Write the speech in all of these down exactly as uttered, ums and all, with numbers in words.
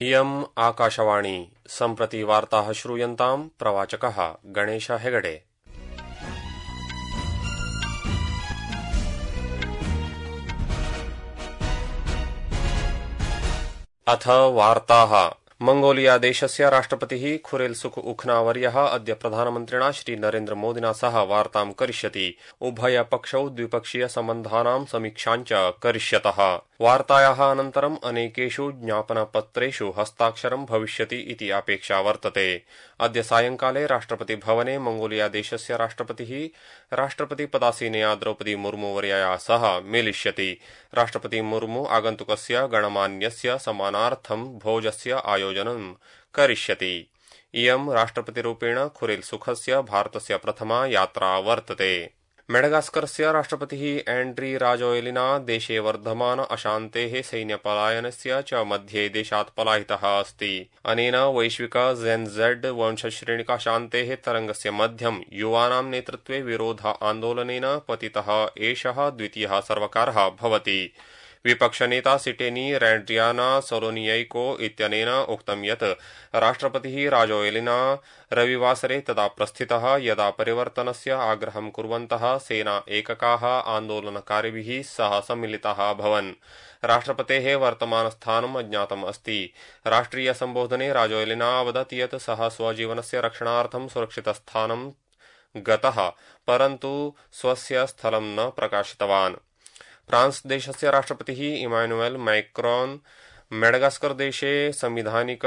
इयम् आकाशवाणी सम्प्रति वार्ताः श्रूयन्ताम् प्रवाचकः गणेश हेगडे। अथ वार्ताः। मंगोलिया देशस्य राष्ट्रपतिः खुरेलसुख उखनावर्यः अद्य प्रधानमन्त्रिणा श्री नरेन्द्र मोदिना सह वार्तां करिष्यति। उभयपक्षौ द्विपक्षीय सम्बन्धानां समीक्षाञ्च करिष्यतः। वार्तायाः अनन्तरम् अनेकेषु ज्ञापनपत्रेषु हस्ताक्षरं भविष्यति इति अपेक्षा वर्तते। अद्य सायंकाले राष्ट्रपतिभवने मंगोलिया देशस्य राष्ट्रपतिः राष्ट्रपतिपदासीनया द्रौपदी मुर्मुवर्यया सह मेलिष्यति। राष्ट्रपति मुर्मु आगन्तुकस्य गणमान्यस्य सम्मानार्थं भोजस्य आयोजनं करिष्यति। इयं राष्ट्रपतिरूपेण खुरेलसुखस्य भारतस्य प्रथमा यात्रा वर्तते। मेडगास्करस्य राष्ट्रपतिः एंड्री राजोएलिना देशे वर्धमान अशान्तेः सैन्यपलायनस्य च मध्ये देशात् पलायितः अस्ति। अनेन वैश्विक जेन जेड वंशश्रेणिकाशान्तेः तरंगस्य मध्यम युवानां नेतृत्वे विरोध आन्दोलनेन पतितः एषः द्वितीयः सर्वकारः भवति। विपक्षनेता सिटेनी रैंड्रियाना सोलोनियैको इत्यनेन उक्तं यत् राष्ट्रपतिः राजोएलिना रविवासरे तदा प्रस्थितः यदा परिवर्तनस्य आग्रहं कुर्वन्तः सेना एककाः आन्दोलनकारिभिः सह सम्मिलिताः अभवन्। राष्ट्रपतेः वर्तमानस्थानम् अज्ञातम् अस्ति। राष्ट्रिय सम्बोधने राजोएलिना अवदत् यत् सः स्वजीवनस्य रक्षणार्थं सुरक्षितस्थानं गतः, परन्तु स्वस्य स्थलं न प्रकाशितवान्। फ्रांस देशस्य राष्ट्रपतिः इमानुएल मैक्रोन मेडगास्कर देशे संविधानिक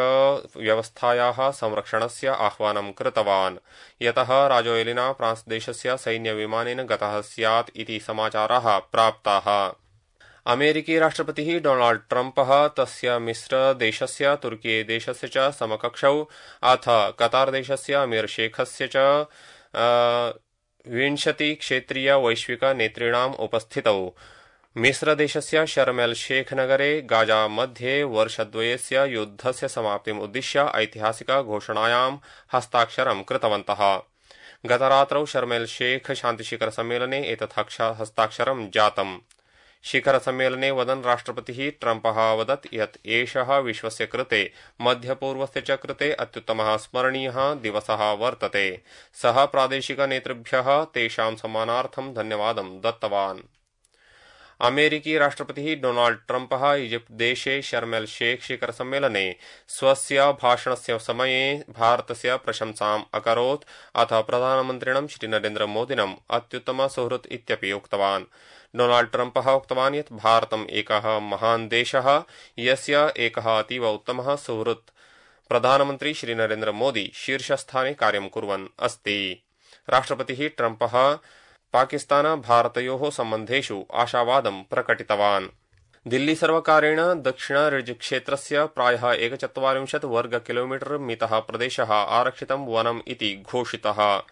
व्यवस्थायाः संरक्षणस्य आह्वानं कृतवान्, यतः राजोएलिना फ्रांस देशस्य सैन्यविमानेन गतः स्यात् इति समाचाराः प्राप्ताः। अमेरिकी राष्ट्रपतिः डोनाल्ड ट्रम्पः तस्य मिस्र देशस्य तुर्की देशस्य च समकक्षौ अथ कतार देशस्य अमीर शेखस्य च विंशति क्षेत्रीय वैश्विक नेतॄणाम् उपस्थितौ मिस्र देशस्य शर्म एल शेख नगरे गाजा मध्ये वर्षद्वयस्य युद्धस्य समाप्तिम् उद्दिश्य ऐतिहासिक घोषणायां हस्ताक्षरं कृतवन्तः। गतरात्रौ शर्म एल शेख शान्तिशिखर सम्मेलने एतत् हस्ताक्षरं जातम्। शिखर सम्मेलने वदन् राष्ट्रपतिः ट्रम्पः अवदत् यत् एषः विश्वस्य कृते मध्यपूर्वस्य च कृते अत्युत्तमः स्मरणीयः दिवसः वर्तते। सः प्रादेशिक नेतृभ्यः तेषां सम्मानार्थं धन्यवादं दत्तवान्। अमेरिकी राष्ट्रपतिः डोनाल्ड ट्रम्पः इजिप्ट देशे शर्म एल शेख शिखर सम्मेलने स्वस्य भाषणस्य समये भारतस्य प्रशंसाम् अकरोत् अथ प्रधानमन्त्रिणं श्री नरेन्द्र मोदिनम् अत्युत्तम सुहृत् इत्यपि उक्तवान्। डोनाल्ड ट्रम्पः उक्तवान् यत् भारतम् एकः महान् देशः यस्य एकः अतीव उत्तमः सुहृत् प्रधानमन्त्री श्री नरेन्द्र मोदी शीर्षस्थाने कार्यं कुर्वन् अस्ति। राष्ट्रपतिः ट्रम्पः पाकिस्तान भारतयोः सम्बन्धेषु आशावादं प्रकटितवान्। दिल्ली सर्वकारेण दक्षिण रिज क्षेत्रस्य प्रायः एकचत्वारिंशत् वर्ग किलोमीटर मितः प्रदेशः आरक्षितं वनम् इति घोषितः।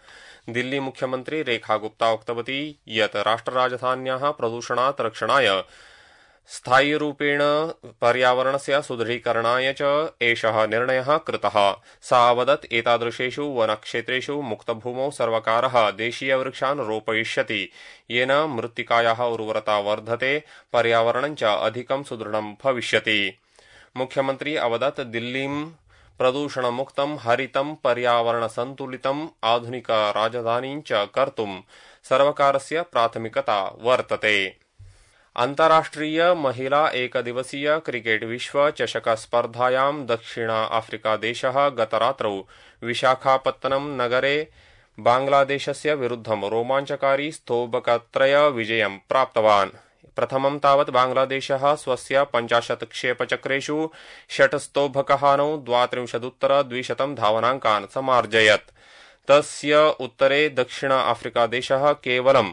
दिल्ली मुख्यमन्त्री रेखा गुप्ता उक्तवती यत् राष्ट्रराजधान्याः प्रदूषणात् रक्षणाय स्थायीरूपेण पर्यावरणस्य सुदृढीकरणाय च एषः निर्णयः कृतः। सा अवदत् एतादृशेषु वनक्षेत्रेषु मुक्तभूमौ सर्वकारः देशीयवृक्षान् रोपयिष्यति, येन मृत्तिकायाः उर्वरता वर्धते, पर्यावरणं च अधिकं सुदृढं भविष्यति। मुख्यमन्त्री अवदत् दिल्लीं प्रदूषणमुक्तं हरितं पर्यावरणसन्तुलितम् आधुनिक राजधानीं च कर्तुं सर्वकारस्य प्राथमिकता वर्तते। अन्ताराष्ट्रिय महिला एकदिवसीय क्रिकेट विश्व चषक स्पर्धायां दक्षिण अफ्रीका देशः गतरात्रौ विशाखापत्तनम नगरे बांग्लादेशस्य विरुद्धं रोमाञ्चकारी स्तोभकत्रय विजयं प्राप्तवान्। प्रथमं तावत् बांग्लादेशः स्वस्य पञ्चाशत् क्षेपचक्रेषु षट् स्तोभकहानौ द्वात्रिंशदुत्तर द्विशतं धावनाङ्कान् समार्जयत्। तस्य उत्तरे दक्षिण अफ्रीका देशः केवलं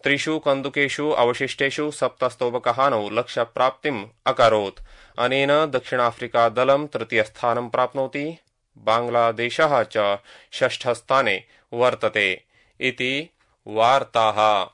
त्रिषु कन्दुकेषु अवशिष्टेषु सप्तस्तोभकहानौ लक्ष्यप्राप्तिम् अकरोत्। अनेन दक्षिणाफ्रिका दलं तृतीयस्थानं प्राप्नोति, बांग्लादेशः च षष्ठस्थाने वर्तते। इति वार्ताः।